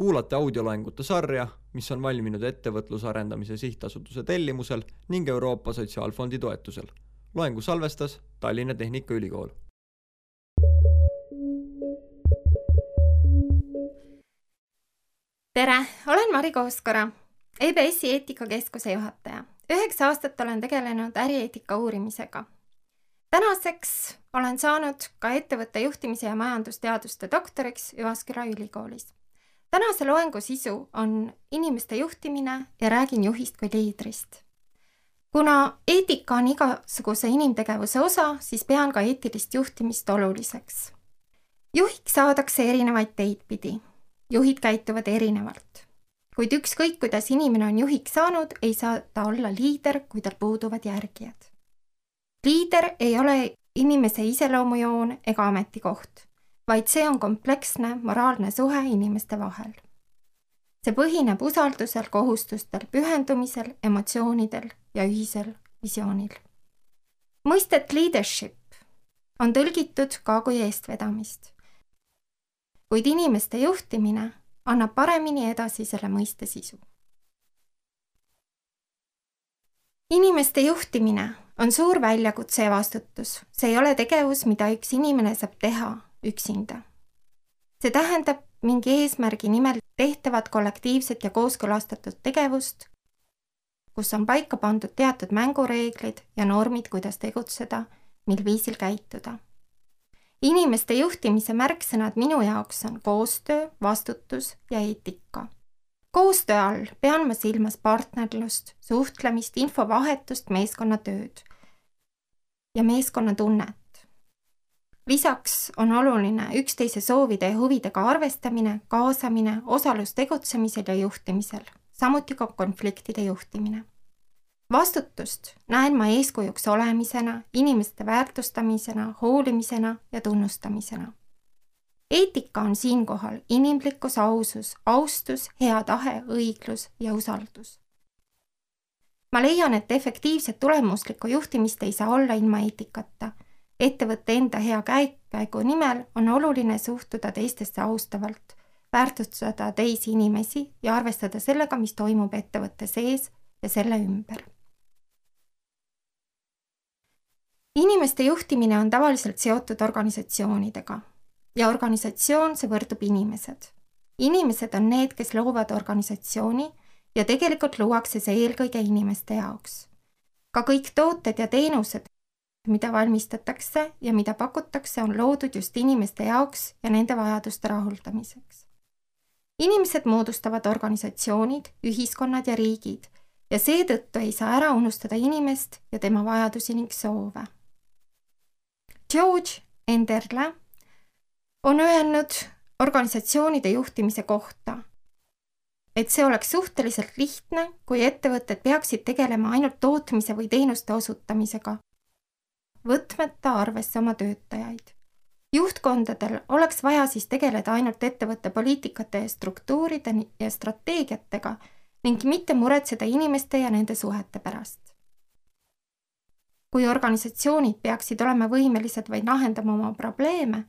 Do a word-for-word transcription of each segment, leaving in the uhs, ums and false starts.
Kuulate audioloengute sarja, mis on valminud ettevõtluse arendamise sihtasutuse tellimusel ning Euroopa Sotsiaalfondi toetusel. Loengu salvestas Tallinna Tehnikaülikool. Tere, olen Mari Kooskora, E B S-i eetikakeskuse juhataja. Üheksa aastat olen tegelenud ärieetika uurimisega. Tänaseks olen saanud ka ettevõtte juhtimise ja majandusteaduste doktoriks Jyväskylä ülikoolis. Tänase loengu sisu on inimeste juhtimine ja räägin juhist kui liidrist. Kuna eetika on igasuguse inimtegevuse osa, siis pean ka eetilist juhtimist oluliseks. Juhiks saadakse erinevaid teid pidi. Juhid käituvad erinevalt. Kuid ükskõik, kuidas inimene on juhiks saanud, ei saa ta olla liider, kui tal puuduvad järgijad. Liider ei ole inimese iseloomujoon ega ametikoht, vaid see on kompleksne moraalne suhe inimeste vahel. See põhineb usaldusel, kohustustel, pühendumisel, emotsioonidel ja ühisel visioonil. Mõistet leadership on tõlgitud ka kui eestvedamist, kuid inimeste juhtimine annab paremini edasi selle mõiste sisu. Inimeste juhtimine on suur väljakutse ja vastutus. See ei ole tegevus, mida üks inimene saab teha üksinda. See tähendab mingi eesmärgi nimel tehtavat kollektiivset ja kooskõlastatud tegevust, kus on paika pandud teatud mängureeglid ja normid, kuidas tegutseda, mil viisil käituda. Inimeste juhtimise märksõnad minu jaoks on koostöö, vastutus ja eetika. Koostöö all pean ma silmas partnerlust, suhtlemist, infovahetust, meeskonnatööd ja meeskonnatunnet. Lisaks on oluline üksteise soovide ja huvidega arvestamine, kaasamine, osalus tegutsemisel ja juhtimisel, samuti ka konfliktide juhtimine. Vastutust näen ma eeskujuks olemisena, inimeste väärtustamisena, hoolimisena ja tunnustamisena. Eetika on siinkohal inimlikkus, ausus, austus, hea tahe, õiglus ja usaldus. Ma leian, et efektiivset tulemuslikku juhtimist ei saa olla ilma eetikata. Ettevõtte enda hea käigu nimel on oluline suhtuda teistesse austavalt, väärtustada teisi inimesi ja arvestada sellega, mis toimub ettevõtte sees ja selle ümber. Inimeste juhtimine on tavaliselt seotud organisatsioonidega ja organisatsioon see võrdub inimesed. Inimesed on need, kes loovad organisatsiooni ja tegelikult luuakse see eelkõige inimeste jaoks. Ka kõik tooted ja teenused, mida valmistatakse ja mida pakutakse, on loodud just inimeste jaoks ja nende vajaduste rahuldamiseks. Inimesed moodustavad organisatsioonid, ühiskonnad ja riigid ja seetõttu ei saa ära unustada inimest ja tema vajadusi ning soove. George Enderle on öelnud organisatsioonide juhtimise kohta, et see oleks suhteliselt lihtne, kui ettevõtted peaksid tegelema ainult tootmise või teenuste osutamisega, võtmata arvesse oma töötajaid. Juhtkondadel oleks vaja siis tegeleda ainult ettevõtte poliitikate ja struktuuride ja strateegiatega ning mitte muretseda inimeste ja nende suhete pärast. Kui organisatsioonid peaksid olema võimelised vaid lahendama oma probleeme,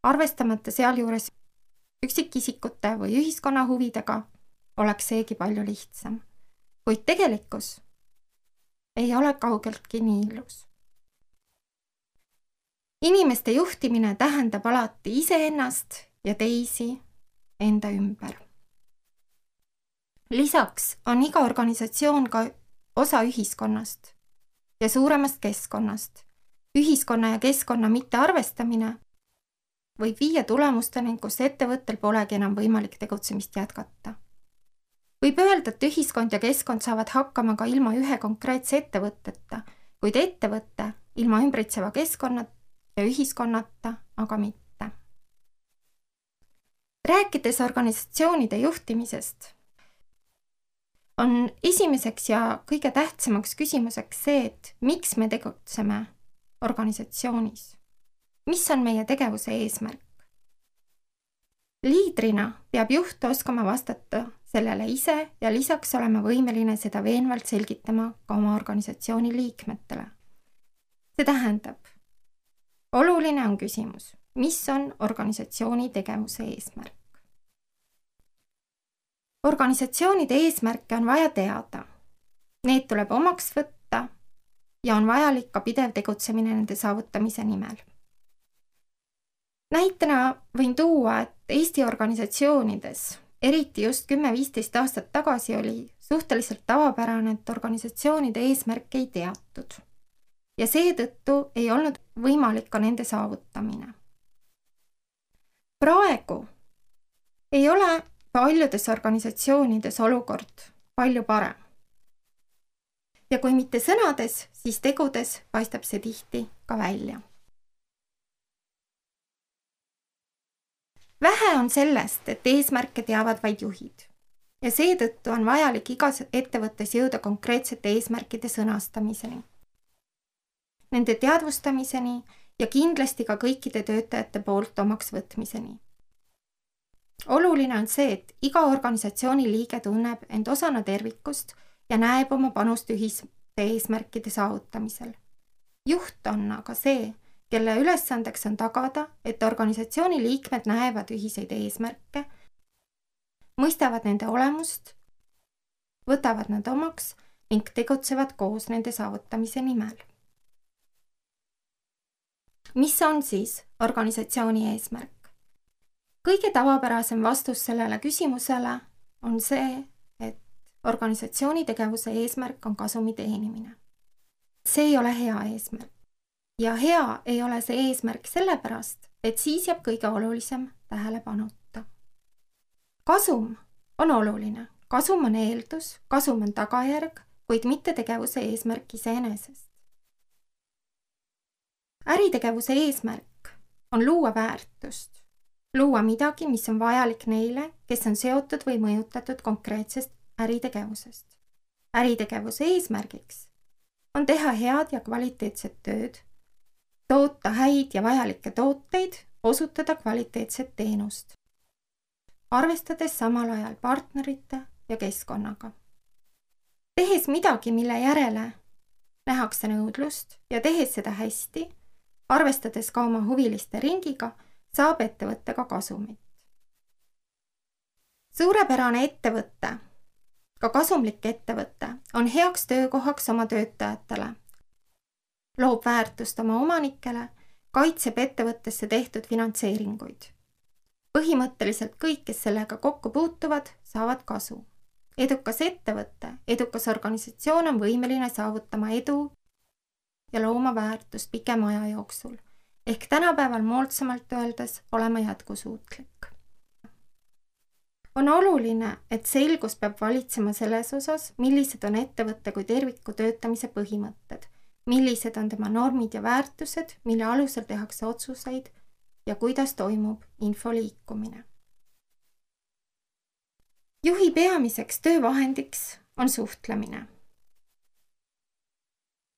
arvestamata sealjuures üksikisikute või ühiskonna huvidega, oleks seegi palju lihtsam. Kuid tegelikkus ei ole kaugeltki nii ilus. Inimeste juhtimine tähendab alati iseennast ja teisi enda ümber. Lisaks on iga organisatsioon ka osa ühiskonnast ja suuremast keskkonnast. Ühiskonna ja keskkonna mittearvestamine võib viia tulemusteni, kus ettevõttel polegi enam võimalik tegutsemist jätkata. Võib öelda, et ühiskond ja keskkond saavad hakkama ka ilma ühe konkreetse ettevõtteta, kuid ettevõtte ilma ümbritseva keskkonnata ja ühiskonnata, aga mitte. Rääkides organisatsioonide juhtimisest, on esimeseks ja kõige tähtsamaks küsimuseks see, et miks me tegutseme organisatsioonis. Mis on meie tegevuse eesmärk? Liidrina peab juht oskama vastata sellele ise ja lisaks olema võimeline seda veenvalt selgitama ka oma organisatsiooni liikmetele. See tähendab, oluline on küsimus, mis on organisatsiooni tegevuse eesmärk. Organisatsioonide eesmärke on vaja teada. Need tuleb omaks võtta ja on vajalik ka pidev tegutsemine nende saavutamise nimel. Näitena võin tuua, et Eesti organisatsioonides, eriti just kümme viisteist aastat tagasi, oli suhteliselt tavapärane, et organisatsioonide eesmärke ei teatud. Ja seetõttu ei olnud võimalik ka nende saavutamine. Praegu ei ole paljudes organisatsioonides olukord palju parem. Ja kui mitte sõnades, siis tegudes paistab see tihti ka välja. Vähe on sellest, et eesmärke teavad vaid juhid ja seetõttu on vajalik igas ettevõttes jõuda konkreetsete eesmärkide sõnastamiseni, nende teadvustamiseni ja kindlasti ka kõikide töötajate poolt omaks võtmiseni. Oluline on see, et iga organisatsiooni liige tunneb end osana tervikust ja näeb oma panust ühiste eesmärkide saavutamisel. Juht on aga see, kelle ülesandeks on tagada, et organisatsiooni liikmed näevad ühiseid eesmärke, mõistavad nende olemust, võtavad nad omaks ning tegutsevad koos nende saavutamise nimel. Mis on siis organisatsiooni eesmärk? Kõige tavapärasem vastus sellele küsimusele on see, et organisatsiooni tegevuse eesmärk on kasumi teenimine. See ei ole hea eesmärk. Ja hea ei ole see eesmärk sellepärast, et siis jääb kõige olulisem tähelepanuta. Kasum on oluline. Kasum on eeldus, kasum on tagajärg, kuid mitte tegevuse eesmärk iseenesest. Äritegevuse eesmärk on luua väärtust, luua midagi, mis on vajalik neile, kes on seotud või mõjutatud konkreetsest äritegevusest. Äritegevuse eesmärgiks on teha head ja kvaliteetset tööd, toota häid ja vajalikke tooteid, osutada kvaliteetset teenust, arvestades samal ajal partnerite ja keskkonnaga. Tehes midagi, mille järele nähakse nõudlust ja tehes seda hästi, arvestades ka oma huviliste ringiga, saab ettevõtte ka kasumit. Suurepärane ettevõte, ka kasumlik ettevõte, on heaks töökohaks oma töötajatele, loob väärtust oma omanikele, kaitseb ettevõttesse tehtud finantseeringuid. Põhimõtteliselt kõik, kes sellega kokku puutuvad, saavad kasu. Edukas ettevõte, edukas organisatsioon on võimeline saavutama edu ja looma väärtust pikema aja jooksul, ehk tänapäeval moodsamalt öeldes olema jätkusuutlik. On oluline, et selgus peab valitsema selles osas, millised on ettevõtte kui terviku töötamise põhimõtted, millised on tema normid ja väärtused, mille alusel tehakse otsuseid ja kuidas toimub info liikumine. Juhi peamiseks töövahendiks on suhtlemine.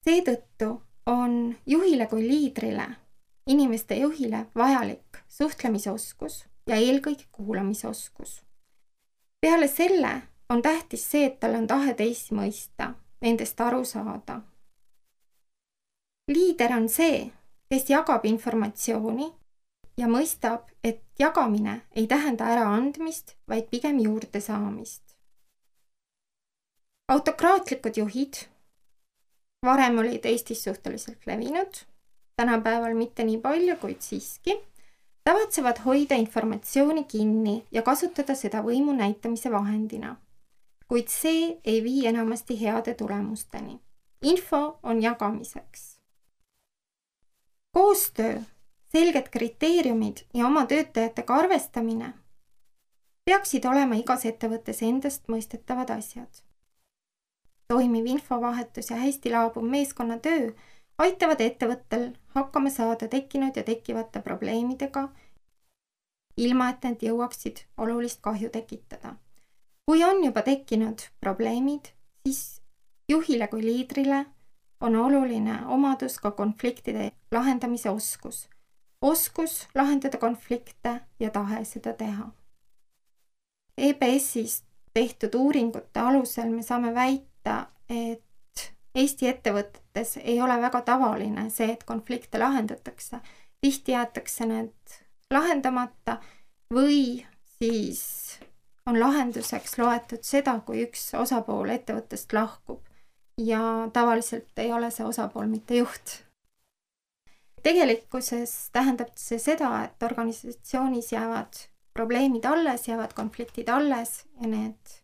Seetõttu on juhile kui liidrile, inimeste juhile vajalik suhtlemisoskus ja eelkõige kuulamisoskus. Peale selle on tähtis see, et tal on tahe teisi mõista, nendest aru saada. Liider on see, kes jagab informatsiooni ja mõistab, et jagamine ei tähenda ära andmist, vaid pigem juurde saamist. Autokraatlikud juhid varem olid Eestis suhteliselt levinud, tänapäeval mitte nii palju, kuid siiski, tavatsevad hoida informatsiooni kinni ja kasutada seda võimu näitamise vahendina. Kuid see ei vii enamasti heade tulemusteni. Info on jagamiseks. Koostöö, selged kriteeriumid ja oma töötajatega arvestamine peaksid olema igas ettevõttes endast mõistetavad asjad. Toimiv infovahetus ja hästi laabuv meeskonnatöö aitavad ettevõttel hakkama saada tekkinud ja tekkivate probleemidega, ilma et need jõuaksid olulist kahju tekitada. Kui on juba tekkinud probleemid, siis juhile kui liidrile on oluline omadus ka konfliktide lahendamise oskus. Oskus lahendada konflikte ja tahe seda teha. E B S-is tehtud uuringute alusel me saame väita, et Eesti ettevõtetes ei ole väga tavaline see, et konflikte lahendatakse. Tihti jäetakse need lahendamata või siis on lahenduseks loetud seda, kui üks osapool ettevõttest lahkub ja tavaliselt ei ole see osapool mitte juht. Tegelikkuses tähendab see seda, et organisatsioonis jäävad probleemid alles, jäävad konfliktid alles ja need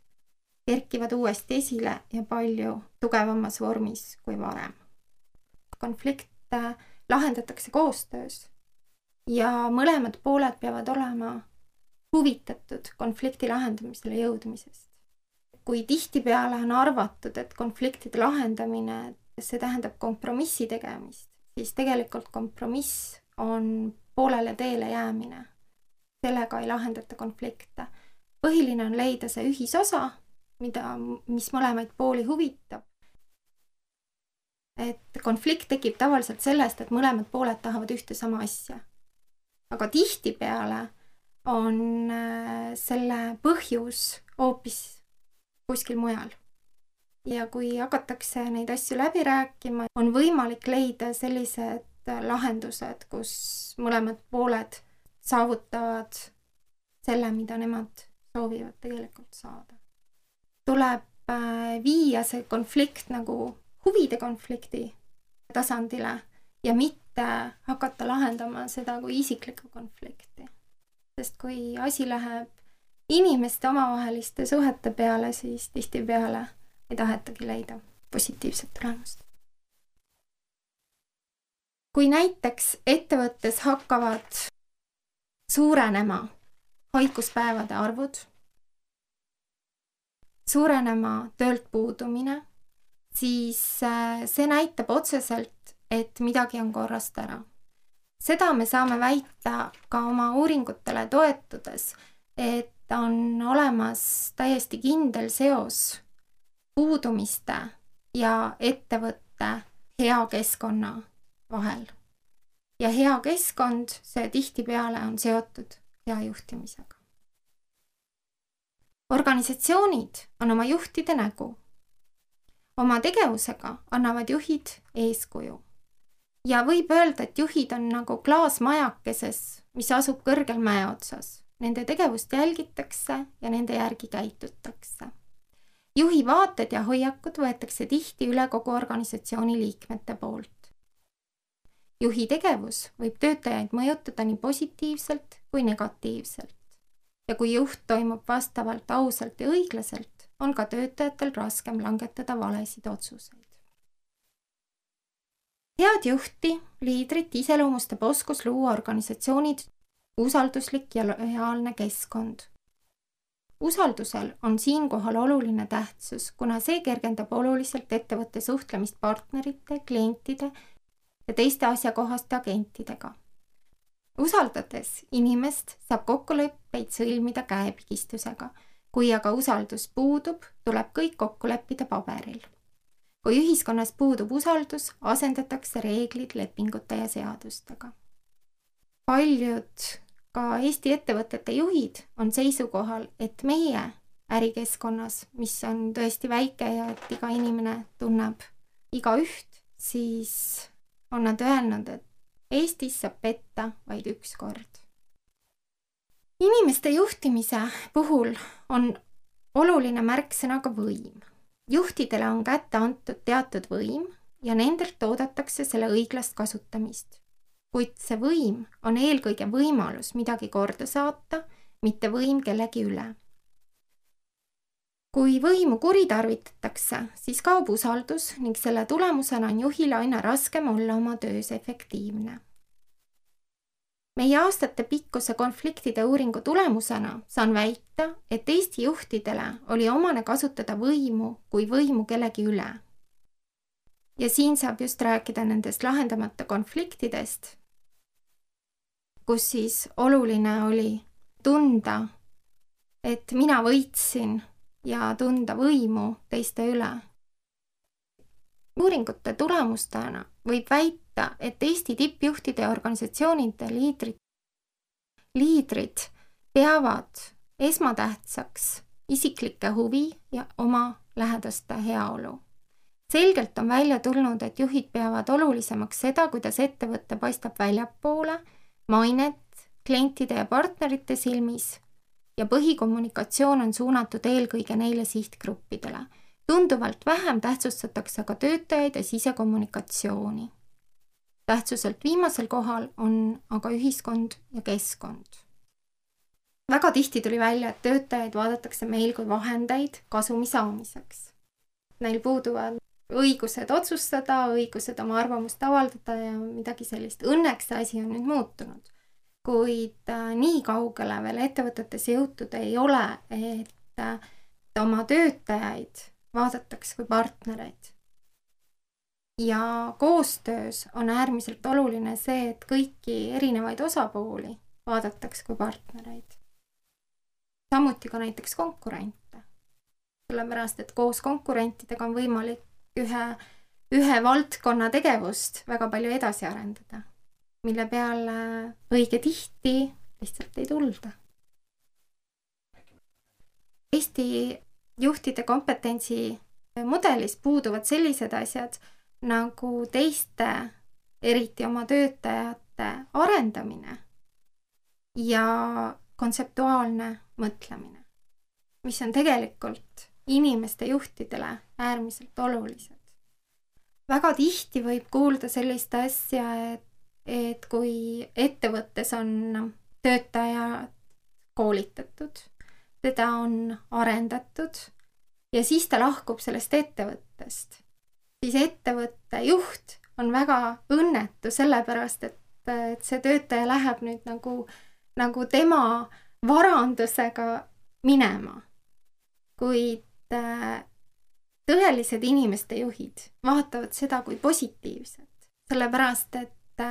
kerkivad uuesti esile ja palju tugevamas vormis kui varem. Konflikte lahendatakse koostöös ja mõlemad pooled peavad olema huvitatud konflikti lahendamisele jõudmisest. Kui tihtipeale on arvatud, et konfliktide lahendamine, see tähendab kompromissi tegemist, siis tegelikult kompromiss on poolele teele jäämine. Sellega ei lahendata konflikte. Põhiline on leida see ühisosa, mida, mis mõlemaid pooli huvitab. Et konflikt tekib tavaliselt sellest, et mõlemad pooled tahavad ühte sama asja. Aga tihtipeale on selle põhjus hoopis kuskil mujal. Ja kui hakatakse neid asju läbi rääkima, on võimalik leida sellised lahendused, kus mõlemad pooled saavutavad selle, mida nemad soovivad tegelikult saada. Tuleb viia see konflikt nagu huvide konflikti tasandile ja mitte hakata lahendama seda kui isiklikku konflikti. Sest kui asi läheb inimeste omavaheliste suhete peale, siis tihtipeale ei tahetagi leida positiivset tulemust. Kui näiteks ettevõttes hakkavad suurenema haiguspäevade arvud, suurenema töölt puudumine, siis see näitab otseselt, et midagi on korrast ära. Seda me saame väita ka oma uuringutele toetudes, et on olemas täiesti kindel seos puudumiste ja ettevõtte hea keskkonna vahel. Ja hea keskkond, see tihtipeale on seotud hea juhtimisega. Organisatsioonid on oma juhtide nägu. Oma tegevusega annavad juhid eeskuju. Ja võib öelda, et juhid on nagu klaasmajakeses, mis asub kõrgel mäe otsas. Nende tegevust jälgitakse ja nende järgi käitutakse. Juhi vaated ja hoiakud võetakse tihti üle kogu organisatsiooni liikmete poolt. Juhi tegevus võib töötajaid mõjutada nii positiivselt kui negatiivselt. Ja kui juht toimub vastavalt ausalt ja õiglaselt, on ka töötajatel raskem langetada valesid otsuseid. Head juhti, liidrit iseloomustab oskus luua organisatsioonid usalduslik ja lojaalne keskkond. Usaldusel on siinkohal oluline tähtsus, kuna see kergendab oluliselt ettevõtte suhtlemist partnerite, klientide ja teiste asjakohaste agentidega. Usaldades inimest saab kokkuleppeid sõlmida käepigistusega. Kui aga usaldus puudub, tuleb kõik kokku leppida paberil. Kui ühiskonnas puudub usaldus, asendatakse reeglid lepingute ja seadustega. Paljud ka Eesti ettevõtete juhid on seisukohal, et meie ärikeskkonnas, mis on tõesti väike ja et iga inimene tunneb iga üht, siis on nad öelnud, et Eestis saab petta vaid üks kord. Inimeste juhtimise puhul on oluline märksõna ka võim. Juhtidele on kätte antud teatud võim ja nendelt oodatakse selle õiglast kasutamist. Kuid see võim on eelkõige võimalus midagi korda saata, mitte võim kellegi üle. Kui võimu kuritarvitatakse, siis kaob usaldus ning selle tulemusena on juhile aina raskem olla oma töös efektiivne. Meie aastate pikkuse konfliktide uuringu tulemusena saan väita, et Eesti juhtidele oli omane kasutada võimu kui võimu kellegi üle. Ja siin saab just rääkida nendest lahendamata konfliktidest, kus siis oluline oli tunda, et mina võitsin ja tunda võimu teiste üle. Uuringute tulemustena võib väita, et Eesti tippjuhtide ja organisatsioonide liidrid, liidrid peavad esmatähtsaks isiklikke huvi ja oma lähedaste heaolu. Selgelt on välja tulnud, et juhid peavad olulisemaks seda, kuidas ettevõte paistab väljapoole, mainet, klientide ja partnerite silmis ja põhikommunikatsioon on suunatud eelkõige neile sihtgruppidele. Tunduvalt vähem tähtsustatakse ka töötajaid ja sisekommunikatsiooni. Tähtsuselt viimasel kohal on aga ühiskond ja keskkond. Väga tihti tuli välja, et töötajaid vaadatakse meil kui vahendeid kasumi saamiseks. Neil puuduvad õigused otsustada, õigused oma arvamust avaldada ja midagi sellist. Õnneks see asi on nüüd muutunud, kuid nii kaugele veel ettevõtetes jõutud ei ole, et oma töötajaid vaadatakse kui partnereid. Ja koostöös on äärmiselt oluline see, et kõiki erinevaid osapooli vaadatakse kui partnereid. Samuti ka näiteks konkurente. Sellepärast, et koos konkurentidega on võimalik ühe, ühe valdkonna tegevust väga palju edasi arendada, mille peale õige tihti lihtsalt ei tulda. Eesti juhtide kompetentsi mudelis puuduvad sellised asjad nagu teiste, eriti oma töötajate arendamine ja kontseptuaalne mõtlemine, mis on tegelikult inimeste juhtidele äärmiselt olulised. Väga tihti võib kuulda sellist asja, et, et kui ettevõttes on töötaja koolitatud, teda on arendatud ja siis ta lahkub sellest ettevõttest, siis ettevõtte juht on väga õnnetu sellepärast, et, et see töötaja läheb nüüd nagu, nagu tema varandusega minema. Kuid tõelised inimeste juhid vaatavad seda kui positiivset, sellepärast et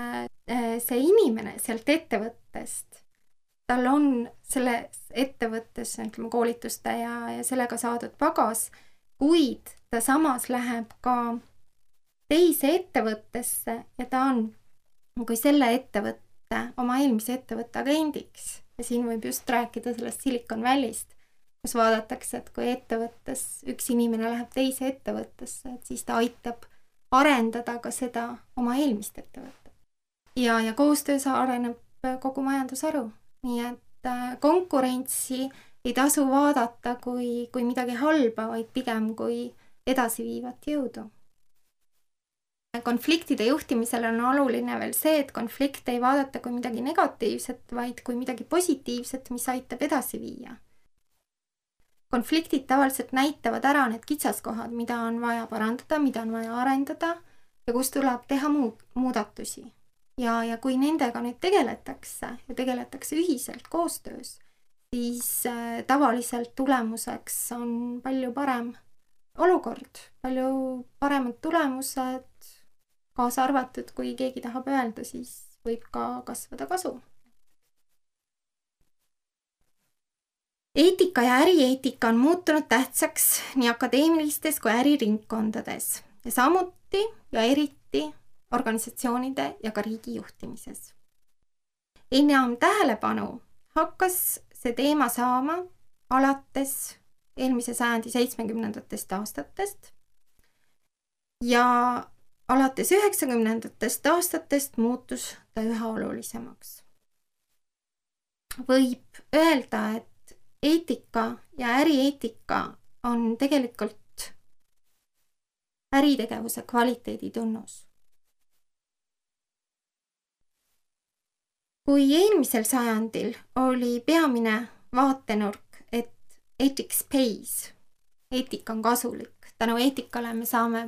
see inimene sealt ettevõttest, tal on selles ettevõttes ütleme, koolituste ja, ja sellega saadud pagas, kuid ta samas läheb ka teise ettevõttesse ja ta on kui selle ettevõtte, oma eelmise ettevõtte agendiks. Ja siin võib just rääkida sellest Silicon Valley'st, kus vaadatakse, et kui ettevõttes üks inimene läheb teise ettevõttesse, et siis ta aitab arendada ka seda oma eelmist ettevõtet. Ja, ja koostöös areneb kogu majandusharu. Nii et konkurentsi ei tasu vaadata kui, kui midagi halba, vaid pigem kui edasiviivat jõudu. Konfliktide juhtimisel on oluline veel see, et konflikte ei vaadata kui midagi negatiivset, vaid kui midagi positiivset, mis aitab edasi viia. Konfliktid tavaliselt näitavad ära need kitsaskohad, mida on vaja parandada, mida on vaja arendada ja kus tuleb teha muud, muudatusi. Ja, ja kui nendega nüüd tegeletakse ja tegeletakse ühiselt koostöös, siis äh, tavaliselt tulemuseks on palju parem olukord, palju paremad tulemused, kaasa arvatud, kui keegi tahab öelda, siis võib ka kasvada kasu. Eetika ja ärieetika on muutunud tähtsaks nii akadeemilistes kui äriringkondades ja samuti ja eriti organisatsioonide ja ka riigi juhtimises. Enam tähelepanu hakkas see teema saama alates eelmise sajandi seitsmekümnendatest aastatest ja alates üheksakümnendatest aastatest muutus ta üha olulisemaks. Võib öelda, et eetika ja ärieetika on tegelikult äritegevuse kvaliteedi tunnus. Kui eelmisel sajandil oli peamine vaatenurk, et ethics pays, eetika on kasulik, tänu eetikale me saame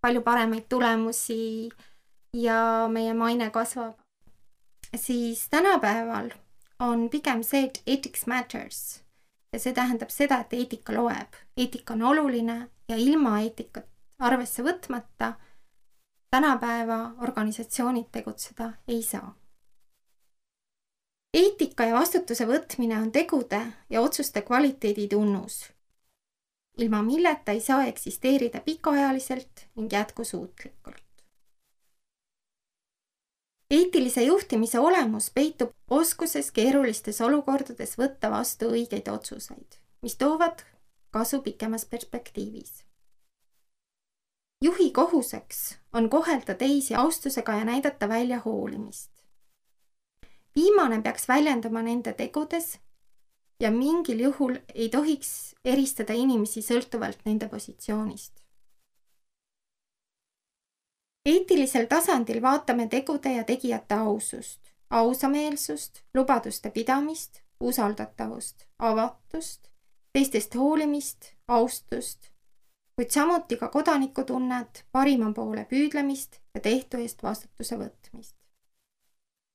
palju paremaid tulemusi ja meie maine kasvab, siis tänapäeval on pigem see, et ethics matters ja see tähendab seda, et eetika loeb. Eetika on oluline ja ilma eetikat arvesse võtmata tänapäeva organisatsioonid tegutseda ei saa. Eetika ja vastutuse võtmine on tegude ja otsuste kvaliteedi tunnus, ilma milleta ei saa eksisteerida pikaajaliselt ning jätkusuutlikult. Eetilise juhtimise olemus peitub oskuses keerulistes olukordades võtta vastu õigeid otsuseid, mis toovad kasu pikemas perspektiivis. Juhi kohuseks on kohelda teisi austusega ja näidata välja hoolimist. Viimane peaks väljendama nende tegudes ja mingil juhul ei tohiks eristada inimesi sõltuvalt nende positsioonist. Eetilisel tasandil vaatame tegude ja tegijate ausust, ausameelsust, lubaduste pidamist, usaldatavust, avatust, teistest hoolimist, austust, kuid samuti ka kodanikutunnet, parima poole püüdlemist ja tehtu eest vastutuse võtmist.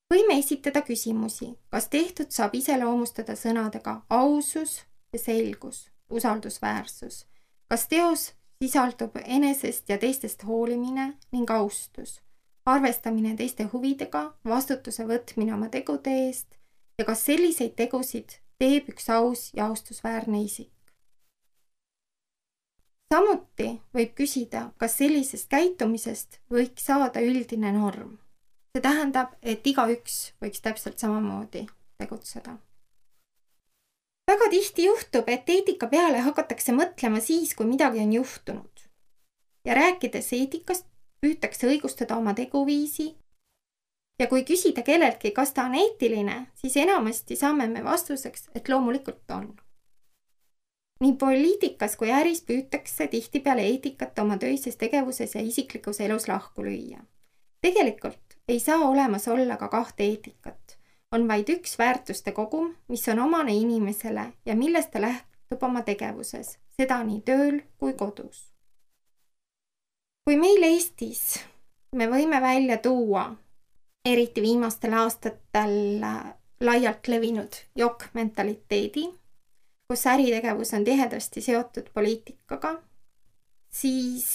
Võime esitada küsimusi, kas tehtud saab iseloomustada sõnadega ausus ja selgus, usaldusväärsus, kas teos sisaldub enesest ja teistest hoolimine ning austus, arvestamine teiste huvidega, vastutuse võtmine oma tegude eest ja kas selliseid tegusid teeb üks aus ja austusväärne isik. Samuti võib küsida, kas sellisest käitumisest võiks saada üldine norm. See tähendab, et igaüks võiks täpselt samamoodi tegutseda. Väga tihti juhtub, et eetika peale hakatakse mõtlema siis, kui midagi on juhtunud. Ja rääkides eetikast, püütakse õigustada oma teguviisi. Ja kui küsida kelleltki, kas ta on eetiline, siis enamasti saame me vastuseks, et loomulikult on. Nii poliitikas kui äris püütakse tihtipeale eetikat oma töises tegevuses ja isiklikus elus lahku lüüa. Tegelikult ei saa olemas olla ka kahte eetikat. On vaid üks väärtuste kogum, mis on omane inimesele ja millest ta lähtub oma tegevuses, seda nii tööl kui kodus. Kui meil Eestis me võime välja tuua, eriti viimastel aastatel laialt levinud jokk-mentaliteedi, kus äritegevus on tihedasti seotud poliitikaga, siis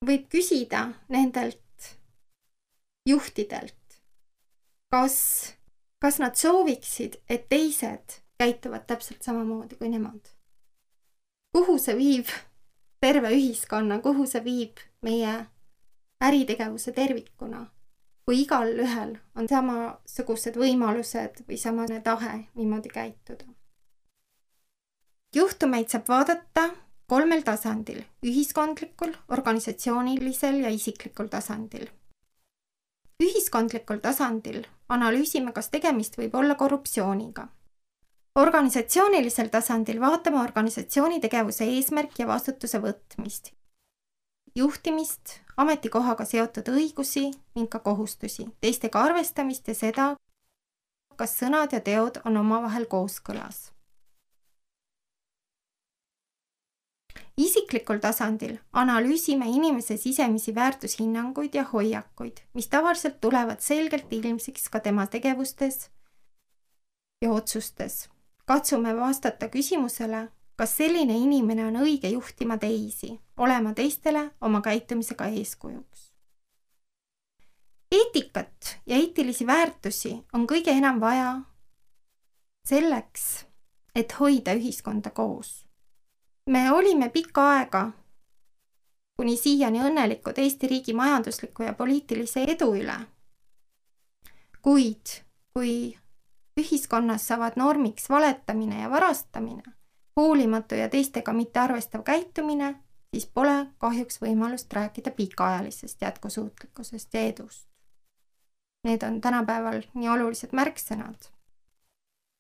võib küsida nendelt juhtidelt, kas, kas nad sooviksid, et teised käituvad täpselt samamoodi kui nemad. Kuhu see viib terve ühiskonna, kuhu see viib meie äritegevuse tervikuna, kui igal ühel on samasugused võimalused või samane tahe niimoodi käituda. Juhtumeid saab vaadata kolmel tasandil, ühiskondlikul, organisatsioonilisel ja isiklikul tasandil. Ühiskondlikul tasandil analüüsime, kas tegemist võib olla korruptsiooniga. Organisatsioonilisel tasandil vaatame organisatsiooni tegevuse eesmärk ja vastutuse võtmist, juhtimist, ametikohaga seotud õigusi ning ka kohustusi, teistega arvestamist ja seda, kas sõnad ja teod on omavahel kooskõlas. Isiklikul tasandil analüüsime inimese sisemisi väärtushinnanguid ja hoiakuid, mis tavaliselt tulevad selgelt ilmsiks ka tema tegevustes ja otsustes. Katsume vastata küsimusele, kas selline inimene on õige juhtima teisi, olema teistele oma käitumisega eeskujuks. Eetikat ja eetilisi väärtusi on kõige enam vaja selleks, et hoida ühiskonda koos. Me olime pikka aega, kuni siiani õnnelikud Eesti riigi majandusliku ja poliitilise edu üle. Kuid, kui ühiskonnas saavad normiks valetamine ja varastamine, hoolimatu ja teistega mitte arvestav käitumine, siis pole kahjuks võimalust rääkida pikaajalisest jätkusuutlikkusest ja edust. Need on tänapäeval nii olulised märksõnad.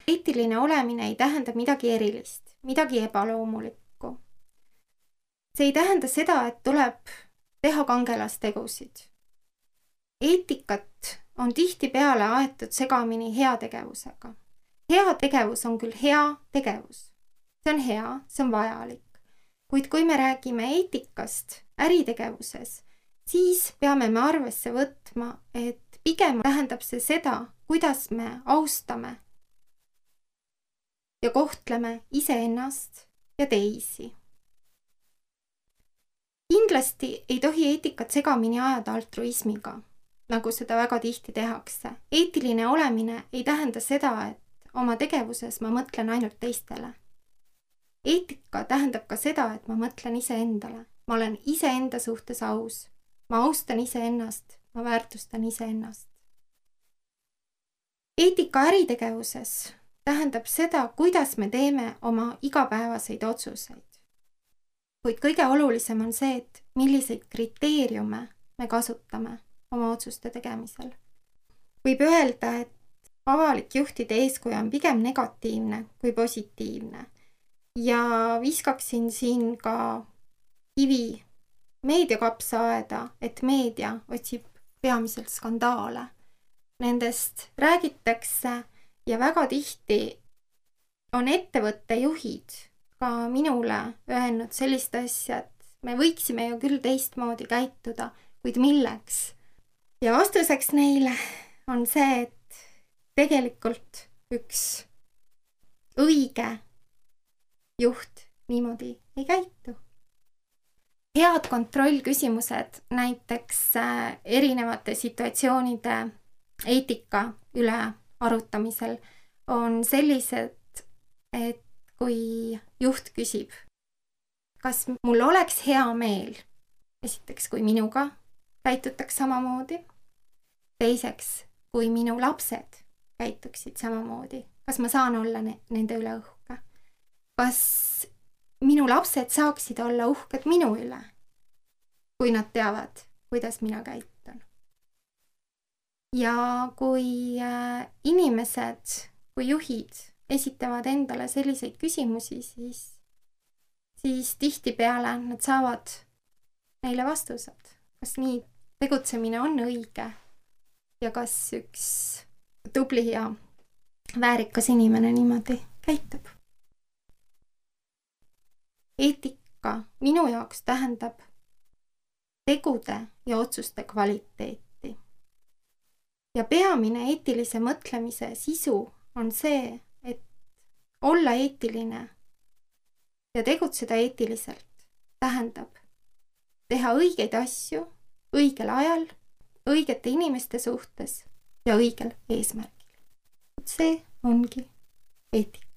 Eetiline olemine ei tähenda midagi erilist, midagi ebaloomulikku. See ei tähenda seda, et tuleb teha kangelastegusid. Eetikat on tihtipeale aetud segamini heategevusega. Heategevus on küll hea tegevus. See on hea, see on vajalik. Kuid kui me räägime eetikast äritegevuses, siis peame me arvesse võtma, et pigem tähendab see seda, kuidas me austame ja kohtleme iseennast ja teisi. Kindlasti ei tohi eetikat segamini ajada altruismiga, nagu seda väga tihti tehakse. Eetiline olemine ei tähenda seda, et oma tegevuses ma mõtlen ainult teistele. Eetika tähendab ka seda, et ma mõtlen iseendale. Ma olen iseenda suhtes aus. Ma austan iseennast, ma väärtustan iseennast. Eetika äritegevuses tähendab seda, kuidas me teeme oma igapäevaseid otsuseid. Kuid kõige olulisem on see, et milliseid kriteeriume me kasutame oma otsuste tegemisel. Võib öelda, et avalik juhtide eeskuju on pigem negatiivne kui positiivne. Ja viskaksin siin ka kivi meediakapsaaeda, et meedia otsib peamiselt skandaale. Nendest räägitakse ja väga tihti on ettevõtte juhid ka minule öelnud sellist asja, et me võiksime ju küll teistmoodi käituda, kuid milleks? Ja vastuseks neile on see, et tegelikult üks õige juht niimoodi ei käitu. Head kontrollküsimused näiteks erinevate situatsioonide eetika üle arutamisel on sellised, et kui juht küsib, kas mul oleks hea meel, esiteks, kui minuga käitutaks samamoodi, teiseks, kui minu lapsed käituksid samamoodi, kas ma saan olla ne- nende üle uhke, kas minu lapsed saaksid olla uhked minu üle, kui nad teavad, kuidas mina käitun. Ja kui äh, inimesed, kui juhid esitavad endale selliseid küsimusi, siis, siis tihtipeale nad saavad neile vastused. Kas nii tegutsemine on õige ja kas üks tubli ja väärikas inimene niimoodi käitub? Eetika minu jaoks tähendab tegude ja otsuste kvaliteeti. Ja peamine eetilise mõtlemise sisu on see, et olla eetiline ja tegutseda eetiliselt tähendab teha õigeid asju õigel ajal, õigete inimeste suhtes ja õigel eesmärgil. See ongi eetika.